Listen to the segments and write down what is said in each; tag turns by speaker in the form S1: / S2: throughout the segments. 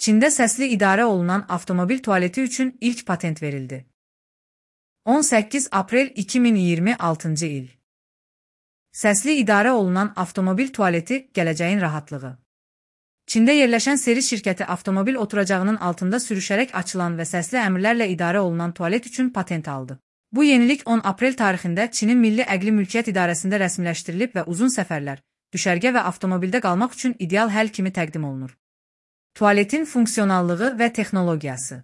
S1: Çində səsli idarə olunan avtomobil tualeti üçün ilk patent verildi. 18 aprel 2026 il. Səsli idarə olunan avtomobil tualeti gələcəyin rahatlığı. Çində yerləşən Seris şirkəti avtomobil oturacağının altında sürüşərək açılan və səsli əmrlərlə idarə olunan tualet üçün patent aldı. Bu yenilik 10 aprel tarixində Çinin Milli Əqli Mülkiyyət İdarəsində rəsmiləşdirilib və uzun səfərlər, düşərgə və avtomobildə qalmaq üçün ideal həll kimi təqdim olunur. Tualetin funksionallığı və texnologiyası.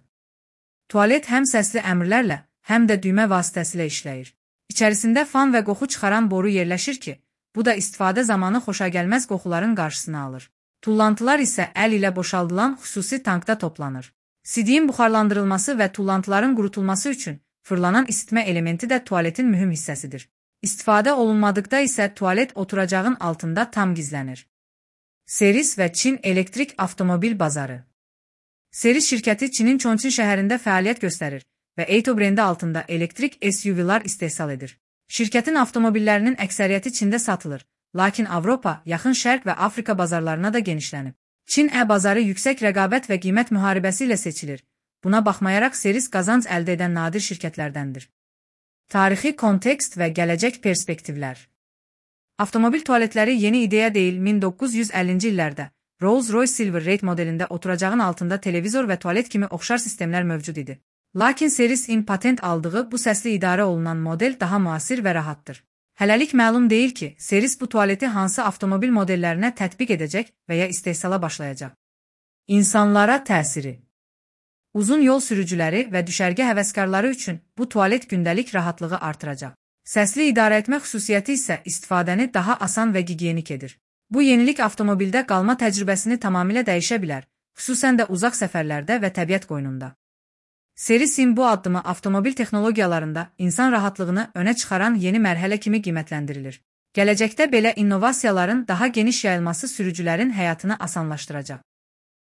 S1: Tualet həm səsli əmrlərlə, həm də düymə vasitəsilə işləyir. İçərisində fan və qoxu çıxaran boru yerləşir ki, bu da istifadə zamanı xoşagəlməz qoxuların qarşısını alır. Tullantılar isə əl ilə boşaldılan xüsusi tankda toplanır. Sidiyin buxarlandırılması və tullantıların qurutulması üçün fırlanan isitmə elementi də tualetin mühüm hissəsidir. İstifadə olunmadıqda isə tualet oturacağın altında tam gizlənir. Seris və Çin elektrik avtomobil bazarı. Seris şirkəti Çinin Çonçin şəhərində fəaliyyət göstərir və Eito brendi altında elektrik SUV-lar istehsal edir. Şirkətin avtomobillərinin əksəriyyəti Çində satılır, lakin Avropa, Yaxın Şərq və Afrika bazarlarına da genişlənib. Çin bazarı yüksək rəqabət və qiymət müharibəsi ilə seçilir. Buna baxmayaraq Seris qazanc əldə edən nadir şirkətlərdəndir. Tarixi kontekst və gələcək perspektivlər. Avtomobil tualetləri yeni ideya deyil, 1950-ci illərdə Rolls-Royce Silver Rate modelində oturacağın altında televizor və tualet kimi oxşar sistemlər mövcud idi. Lakin Seris-in patent aldığı bu səsli idarə olunan model daha müasir və rahatdır. Hələlik məlum deyil ki, Seris bu tualeti hansı avtomobil modellərinə tətbiq edəcək və ya istehsala başlayacaq. İnsanlara təsiri. Uzun yol sürücüləri və düşərgə həvəskarları üçün bu tualet gündəlik rahatlığı artıracaq. Səsli idarə etmə xüsusiyyəti isə istifadəni daha asan və gigiyenik edir. Bu yenilik avtomobildə qalma təcrübəsini tamamilə dəyişə bilər, xüsusən də uzaq səfərlərdə və təbiət qoynunda. Seris-in bu addımı avtomobil texnologiyalarında insan rahatlığını önə çıxaran yeni mərhələ kimi qiymətləndirilir. Gələcəkdə belə innovasiyaların daha geniş yayılması sürücülərin həyatını asanlaşdıracaq.